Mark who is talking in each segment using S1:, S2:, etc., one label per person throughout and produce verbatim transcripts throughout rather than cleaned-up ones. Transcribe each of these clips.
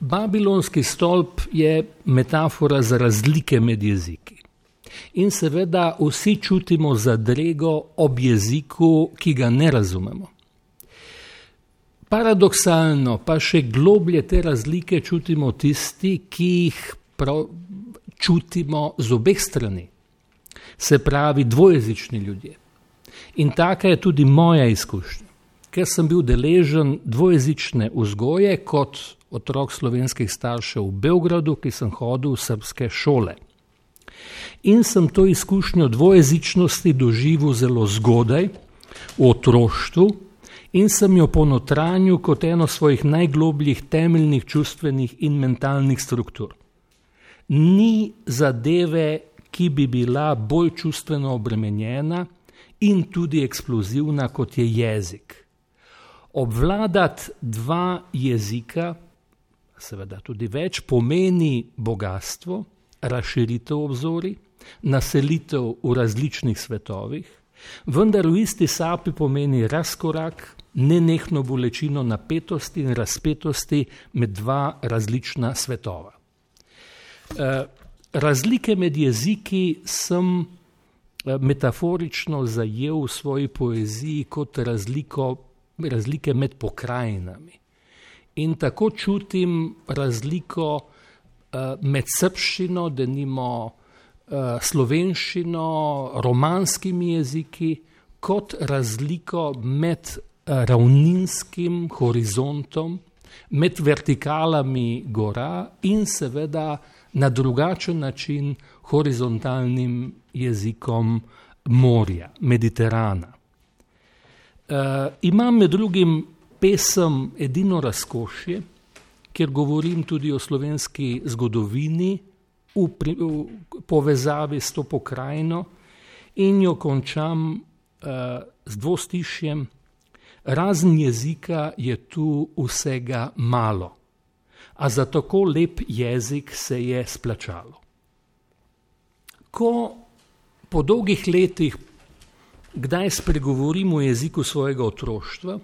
S1: Babilonski stolp je metafora za razlike med jeziki. In seveda vsi čutimo zadrego ob jeziku, ki ga ne razumemo. Paradoksalno pa še globlje te razlike čutimo tisti, ki jih prav čutimo z obeh strani. Se pravi dvojezični ljudje. In taka je tudi moja izkušnja. Ker sem bil deležen dvojezične vzgoje kot otrok slovenskih staršev v Beogradu, ki sem hodil v srbske šole. In sem to izkušnjo dvojezičnosti doživel zelo zgodaj, v otroštvu, in sem jo ponotranil kot eno svojih najglobljih temeljnih čustvenih in mentalnih struktur. Ni zadeve, ki bi bila bolj čustveno obremenjena in tudi eksplozivna, kot je jezik. Obvladati dva jezika, seveda tudi več, pomeni bogatstvo, razširitev obzorij, naselitev v različnih svetovih, vendar v isti sapi pomeni razkorak, nenehno bolečino napetosti in razpetosti med dva različna svetova. Razlike med jeziki sem metaforično zajel v svoji poeziji kot razliko, razlike med pokrajinami. In tako čutim razliko med srbščino, denimo slovenščino, romanskimi jeziki, kot razliko med ravninskim horizontom, med vertikalami gora in seveda na drugačen način horizontalnim jezikom morja, Mediterana. Uh, imam med drugim pesem Edino razkošje, kjer govorim tudi o slovenski zgodovini v, pri, v povezavi s to pokrajino in jo končam uh, z dvostišjem. Razen jezika je tu vsega malo, a za tako lep jezik se je splačalo. Ko po dolgih letih kdaj spregovorim o jeziku svojega otroštva,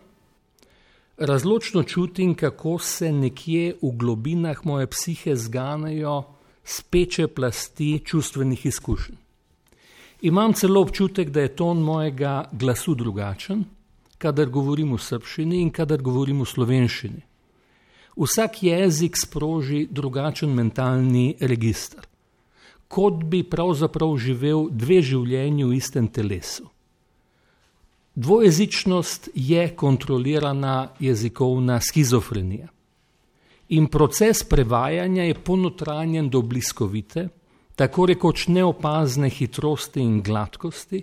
S1: razločno čutim, kako se nekje v globinah moje psihe zganejo speče plasti čustvenih izkušenj. Imam celo občutek, da je ton mojega glasu drugačen, kadar govorim v srbščini in kadar govorim v slovenščini. Vsak jezik sproži drugačen mentalni register, kot bi pravzaprav živel dve življenji v istem telesu. Dvojezičnost je kontrolirana jezikovna schizofrenija. In proces prevajanja je ponotranjen do bliskovite, tako rekoč neopazne hitrosti in gladkosti,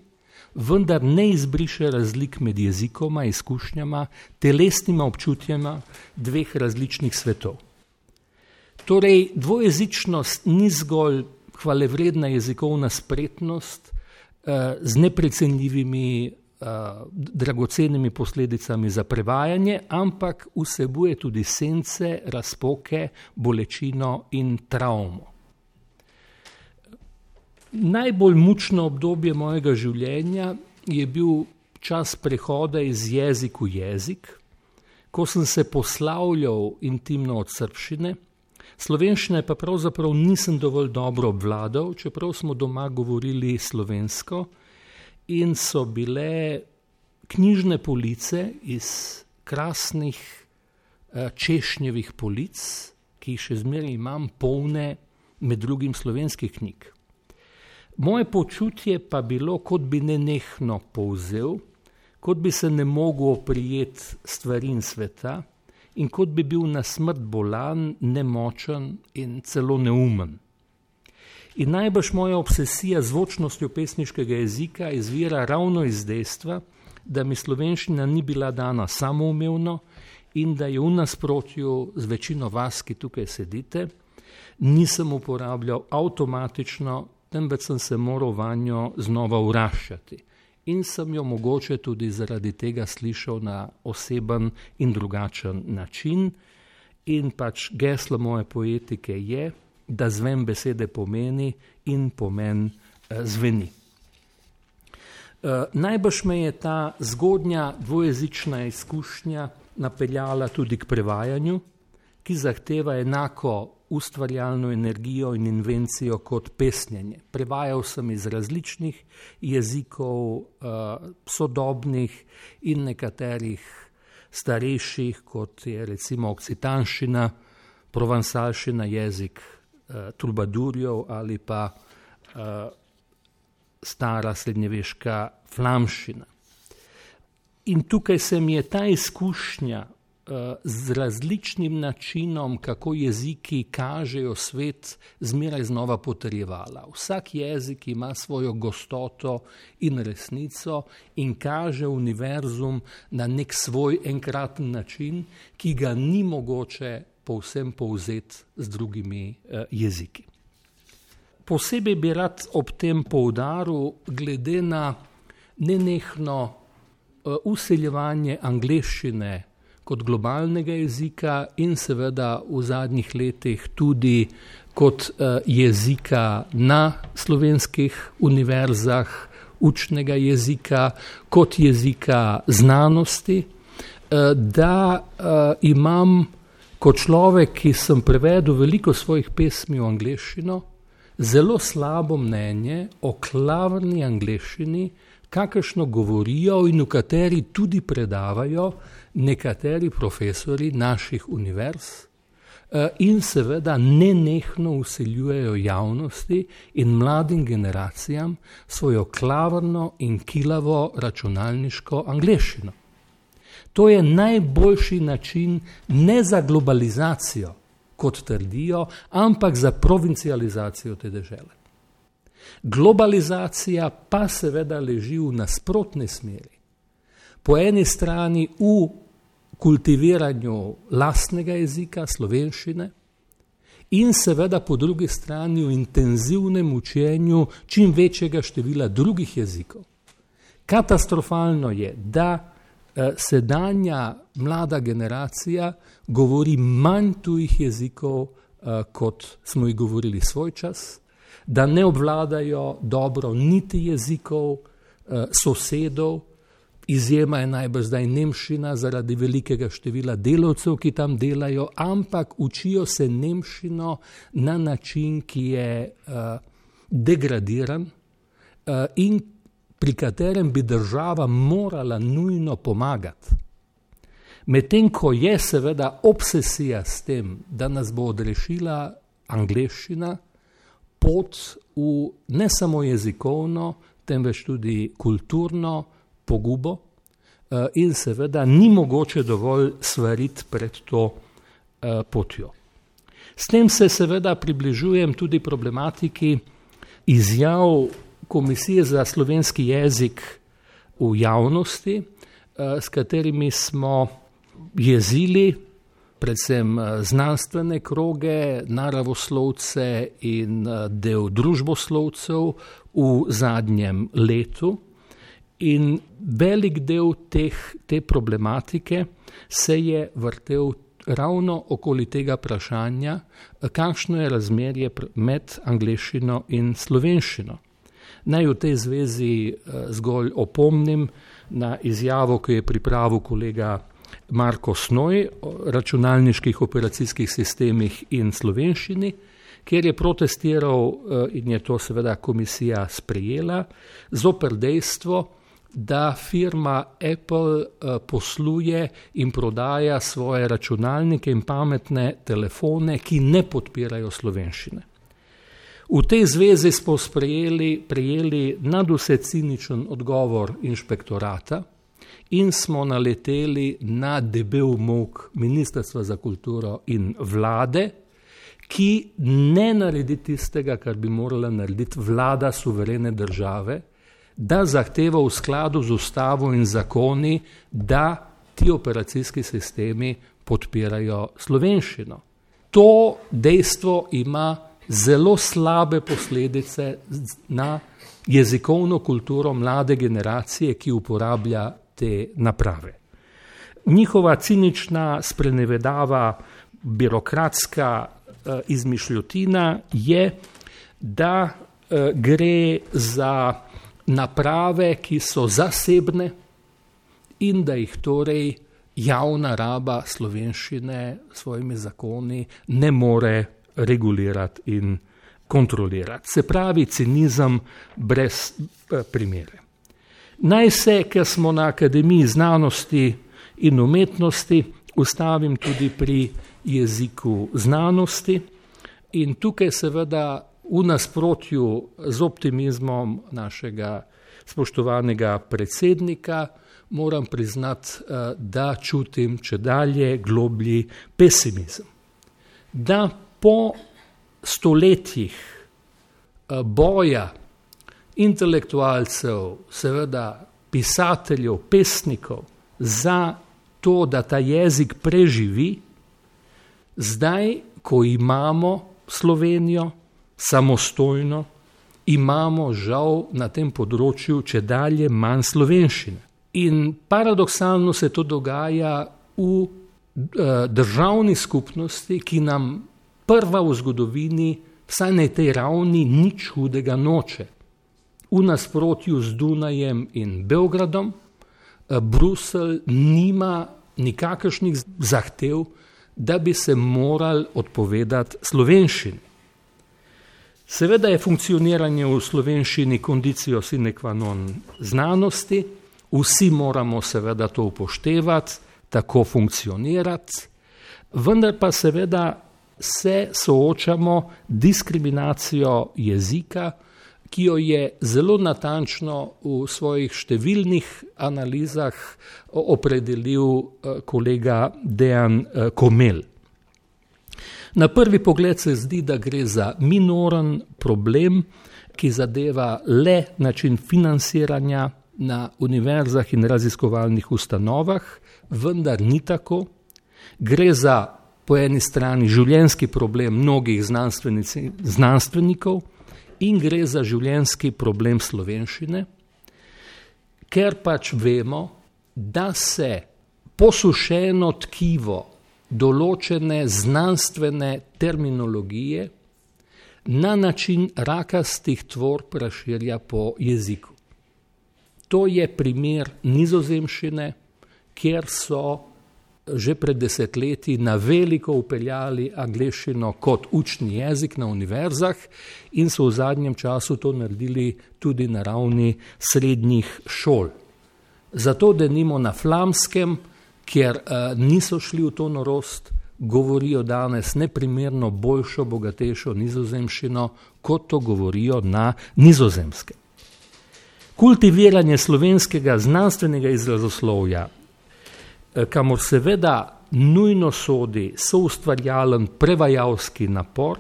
S1: vendar ne izbriše razlik med jezikoma, izkušnjama, telesnima občutjama dveh različnih svetov. Torej, dvojezičnost ni zgolj hvalevredna jezikovna spretnost eh, z neprecenljivimi dragocenimi posledicami za prevajanje, ampak vsebuje tudi sence, razpoke, bolečino in travmo. Najbolj mučno obdobje mojega življenja je bil čas prehoda iz jezik v jezik, ko sem se poslavljal intimno od srbščine, slovenščine pa pravzaprav nisem dovolj dobro obvladal, čeprav smo doma govorili slovensko, in so bile knjižne police iz krasnih češnjevih polic, ki jih še zmeraj imam, polne med drugim slovenskih knjig. Moje počutje pa bilo, kot bi nenehno polzel, kot bi se ne mogel oprijeti stvari in sveta in kot bi bil na smrt bolan, nemočen in celo neumen. In najbrž moja obsesija z zvočnostjo pesniškega jezika izvira ravno iz dejstva, da mi slovenščina ni bila dana samoumevno in da je v nasprotju z večino vas, ki tukaj sedite, nisem uporabljal avtomatično, temveč sem se moral vanjo znova vraščati. In sem jo mogoče tudi zaradi tega slišal na oseben in drugačen način. In pač geslo moje poetike je, da zven besede pomeni in pomen eh, zveni. Eh, najbrž me je ta zgodnja dvojezična izkušnja napeljala tudi k prevajanju, ki zahteva enako ustvarjalno energijo in invencijo kot pesnjenje. Prevajal sem iz različnih jezikov, sodobnih in nekaterih starejših, kot je recimo okcitanščina, provansalščina, jezik trubadurjev ali pa stara srednjeveška flamščina. In tukaj se mi je ta izkušnja z različnim načinom, kako jeziki kažejo svet, zmeraj znova potrjevala. Vsak jezik ima svojo gostoto in resnico in kaže univerzum na nek svoj enkraten način, ki ga ni mogoče povsem povzeti z drugimi jeziki. Posebej bi rad ob tem poudaril, glede na nenehno vseljevanje angleščine kot globalnega jezika in seveda v zadnjih letih tudi kot jezika na slovenskih univerzah, učnega jezika, kot jezika znanosti, da imam kot človek, ki sem prevedel veliko svojih pesmi v angleščino, zelo slabo mnenje o klavrni angleščini, kakršno govorijo in v kateri tudi predavajo nekateri profesori naših univerz in seveda nenehno vseljujejo javnosti in mladim generacijam svojo klavrno in kilavo računalniško angleščino. To je najboljši način ne za globalizacijo, kot trdijo, ampak za provincializacijo te dežele. Globalizacija pa seveda leži v nasprotni smeri. Po eni strani v kultiviranju lastnega jezika, slovenščine, in seveda po drugi strani v intenzivnem učenju čim večjega števila drugih jezikov. Katastrofalno je, da sedanja mlada generacija govori manj tujih jezikov, kot smo jih govorili svoj čas, da ne obvladajo dobro niti jezikov sosedov, izjema je najbrž zdaj nemščina zaradi velikega števila delavcev, ki tam delajo, ampak učijo se nemščino na način, ki je degradiran in pri katerem bi država morala nujno pomagati. Medtem ko je seveda obsesija s tem, da nas bo odrešila angleščina, pot v ne samo jezikovno, temveč tudi kulturno pogubo in seveda ni mogoče dovolj svariti pred to potjo. S tem se seveda približujem tudi problematiki izjav Komisije za slovenski jezik v javnosti, s katerimi smo jezili predvsem znanstvene kroge, naravoslovce in del družboslovcev v zadnjem letu. In velik del teh, te problematike se je vrtel ravno okoli tega vprašanja, kakšno je razmerje med angleščino in slovenščino. Naj v tej zvezi zgolj opomnim na izjavo, ki je pripravil kolega Marko Snoj o računalniških operacijskih sistemih in slovenščini, kjer je protestiral in je to seveda komisija sprejela, zoper dejstvo, da firma Apple posluje in prodaja svoje računalnike in pametne telefone, ki ne podpirajo slovenščine. V tej zvezi smo sprejeli, prejeli nadvse ciničen odgovor inšpektorata in smo naleteli na debel molk Ministrstva za kulturo in vlade, ki ne naredi tistega, kar bi morala narediti vlada suverene države, da zahteva v skladu z ustavo in zakoni, da ti operacijski sistemi podpirajo slovenščino. To dejstvo ima zelo slabe posledice na jezikovno kulturo mlade generacije, ki uporablja te naprave. Njihova cinična sprenevedava, birokratska izmišljotina je, da gre za naprave, ki so zasebne in da jih torej javna raba slovenščine s svojimi zakoni ne more regulirati in kontrolirati. Se pravi, cinizem brez primere. Naj se, ker smo na Akademiji znanosti in umetnosti, ustavim tudi pri jeziku znanosti in tukaj seveda v nasprotju z optimizmom našega spoštovanega predsednika moram priznati, da čutim čedalje globlji pesimizem. Da po stoletjih boja intelektualcev, seveda pisateljev, pesnikov za to, da ta jezik preživi, zdaj, ko imamo Slovenijo samostojno, imamo žal na tem področju čedalje manj slovenščine. In paradoksalno se to dogaja v državni skupnosti, ki nam prva v zgodovini, vsaj na tej ravni, nič hudega noče. V nasprotju z Dunajem in Beogradom, Bruselj nima nikakršnih zahtev, da bi se morali odpovedati slovenščini. Seveda je funkcioniranje v slovenščini conditio sine qua non znanosti, vsi moramo seveda to upoštevati, tako funkcionirati, vendar pa seveda se soočamo diskriminacijo jezika, ki jo je zelo natančno v svojih številnih analizah opredelil kolega Dejan Komel. Na prvi pogled se zdi, da gre za minoren problem, ki zadeva le način financiranja na univerzah in raziskovalnih ustanovah, vendar ni tako. Gre za po eni strani življenjski problem mnogih znanstvenikov in gre za življenjski problem slovenščine, ker pač vemo, da se posušeno tkivo določene znanstvene terminologije na način rakastih tvorb razširja po jeziku. To je primer nizozemščine, kjer so že pred desetletji na veliko upeljali angleščino kot učni jezik na univerzah in so v zadnjem času to naredili tudi na ravni srednjih šol. Zato denimo na flamskem, kjer uh, niso šli v to norost, govorijo danes neprimerno boljšo, bogatejšo nizozemščino, kot to govorijo na nizozemskem. Kultiviranje slovenskega znanstvenega izrazoslovja, kamor seveda nujno sodi soustvarjalen prevajalski napor,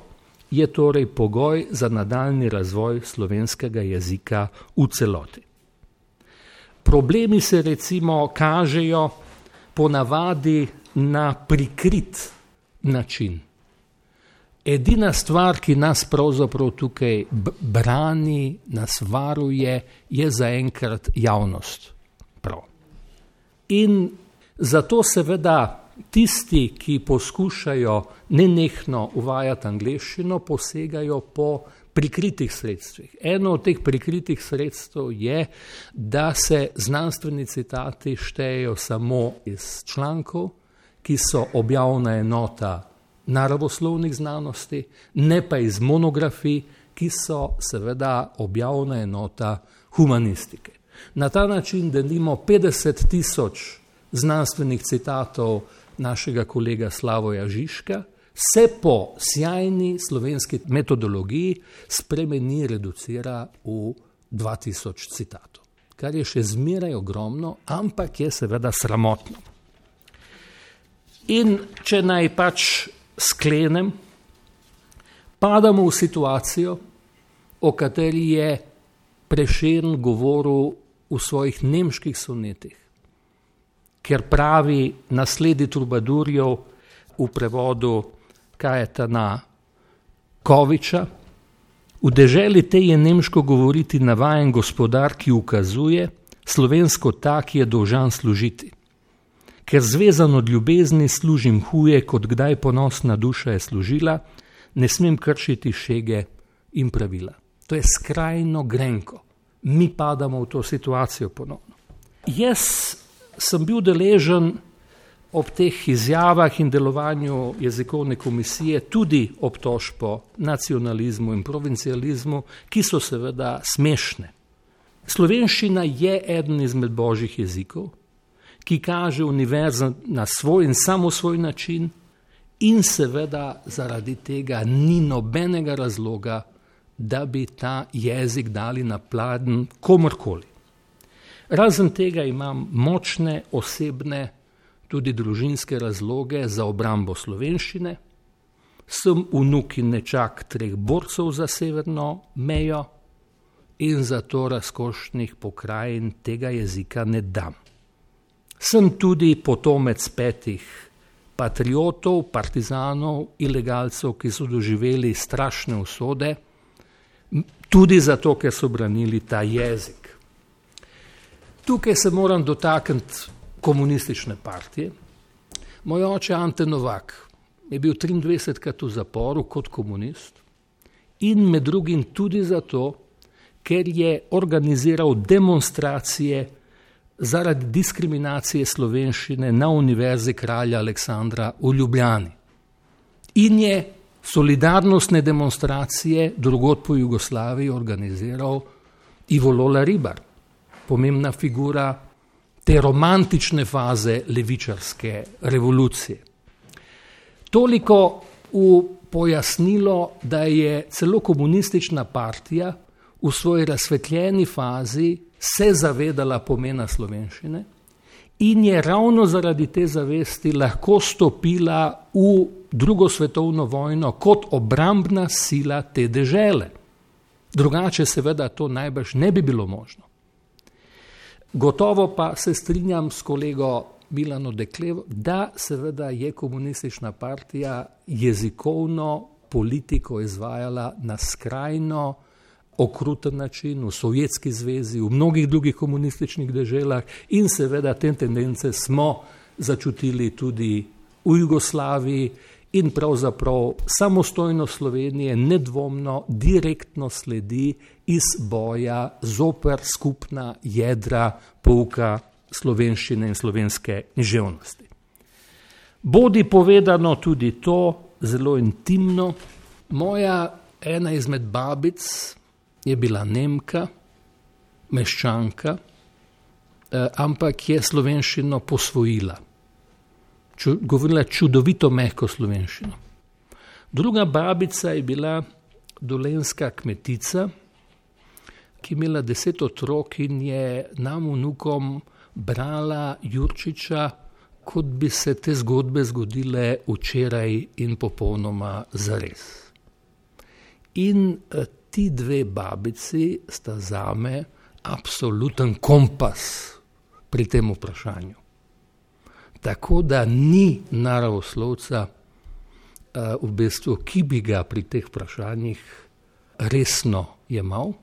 S1: je torej pogoj za nadaljnji razvoj slovenskega jezika v celoti. Problemi se recimo kažejo ponavadi na prikrit način. Edina stvar, ki nas pravzaprav tukaj brani, nas varuje, je zaenkrat javnost. Prav. In zato seveda tisti, ki poskušajo nenehno uvajati angleščino, posegajo po prikritih sredstvih. Eno od teh prikritih sredstev je, da se znanstveni citati štejejo samo iz člankov, ki so objavna enota naravoslovnih znanosti, ne pa iz monografij, ki so seveda objavna enota humanistike. Na ta način denimo petdeset tisoč znanstvenih citatov našega kolega Slavoja Žižka se po sjajni slovenski metodologiji spremeni, reducira v dva tisoč citatov, kar je še zmeraj ogromno, ampak je seveda sramotno. In če naj pač sklenem, padamo v situacijo, o kateri je Prešern govoril v svojih nemških sonetih, ker pravi nasledi trubadurjev v prevodu Kajetana Koviča, v deželi tej je nemško govoriti navajen gospodar, ki ukazuje, slovensko tak je dolžan služiti. Ker zvezan od ljubezni služim huje, kot kdaj ponosna duša je služila, ne smem kršiti šege in pravila. To je skrajno grenko. Mi padamo v to situacijo ponovno. Jaz sem bil deležen ob teh izjavah in delovanju jezikovne komisije tudi obtožbo nacionalizmu in provincializmu, ki so seveda smešne. Slovenščina je eden izmed božjih jezikov, ki kaže univerzo na svoj in samo svoj način in seveda zaradi tega ni nobenega razloga, da bi ta jezik dali na pladenj komorkoli. Razen tega imam močne osebne, tudi družinske razloge za obrambo slovenščine. Sem vnuk in nečak treh borcev za severno mejo in zato razkošnih pokrajin tega jezika ne dam. Sem tudi potomec petih patriotov, partizanov, ilegalcev, ki so doživeli strašne usode, tudi zato, ker so branili ta jezik. Tukaj se moram dotakniti komunistične partije. Moj oče Ante Novak je bil triindvajsetkrat v zaporu kot komunist in med drugim tudi zato, ker je organiziral demonstracije zaradi diskriminacije slovenščine na Univerzi kralja Aleksandra v Ljubljani. In je solidarnostne demonstracije drugod po Jugoslaviji organiziral Ivo Lola Ribar, pomembna figura te romantične faze levičarske revolucije. Toliko v pojasnilo, da je celo komunistična partija v svoji razsvetljeni fazi se zavedala pomena slovenščine in je ravno zaradi te zavesti lahko stopila v drugo svetovno vojno kot obrambna sila te dežele. Drugače seveda to najbrž ne bi bilo možno. Gotovo pa se strinjam s kolego Milano Deklevo, da seveda je komunistična partija jezikovno politiko izvajala na skrajno okruten način v Sovjetski zvezi, v mnogih drugih komunističnih deželah in seveda te tendence smo začutili tudi v Jugoslaviji in pravzaprav samostojnost Slovenije nedvomno direktno sledi iz boja zoper skupna jedra pouka slovenščine in slovenske književnosti. Bodi povedano tudi to, zelo intimno, moja ena izmed babic je bila Nemka, meščanka, ampak je slovenščino posvojila. Govorila čudovito mehko slovenščino. Druga babica je bila dolenjska kmetica, ki je imela deset otrok in je nam vnukom brala Jurčiča, kot bi se te zgodbe zgodile včeraj in popolnoma zares. In ti dve babici sta zame absoluten kompas pri tem vprašanju. Tako da ni naravoslovca, v bistvu, ki bi ga pri teh vprašanjih resno jemal.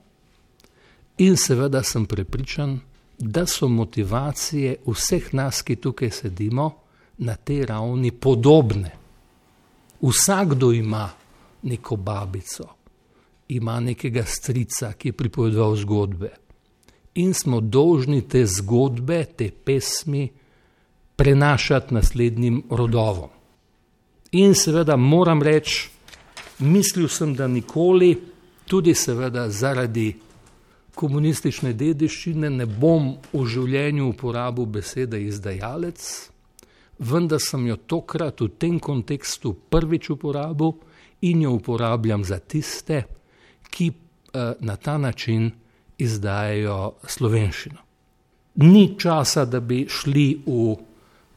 S1: In seveda sem prepričan, da so motivacije vseh nas, ki tukaj sedimo, na tej ravni podobne. Vsakdo ima neko babico, ima nekega strica, ki je pripovedoval zgodbe. In smo dolžni te zgodbe, te pesmi prenašati naslednjim rodovom. In seveda moram reči, mislil sem, da nikoli, tudi seveda zaradi komunistične dediščine, ne bom v življenju uporabil besede izdajalec, vendar sem jo tokrat v tem kontekstu prvič uporabil in jo uporabljam za tiste, ki na ta način izdajajo slovenščino. Ni časa, da bi šli v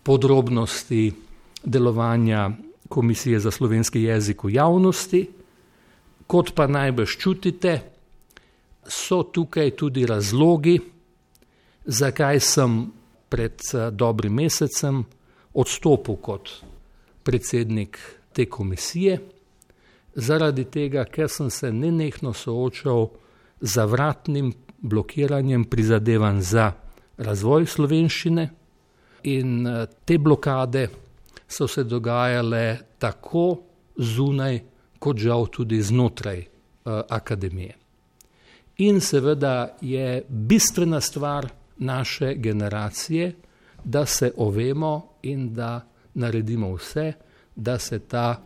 S1: podrobnosti delovanja Komisije za slovenski jezik v javnosti. Kot pa najbrž čutite, so tukaj tudi razlogi, zakaj sem pred dobrim mesecem odstopil kot predsednik te komisije, zaradi tega, ker sem se nenehno soočal z zavratnim blokiranjem prizadevanj za razvoj slovenščine in te blokade so se dogajale tako zunaj, kot žal tudi znotraj uh, akademije. In seveda je bistvena stvar naše generacije, da se ovemo in da naredimo vse, da se ta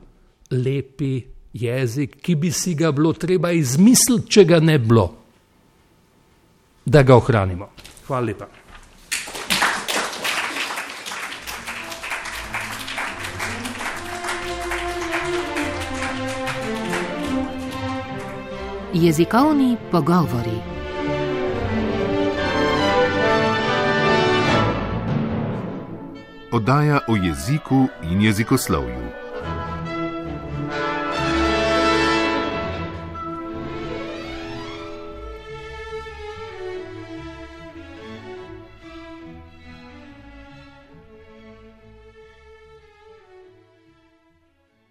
S1: lepi jezik, ki bi si ga bilo treba izmisliti, če ga ne bilo, da ga ohranimo. Hvala lepa.
S2: Jezikovni pogovori.
S3: Oddaja o jeziku in jezikoslovju.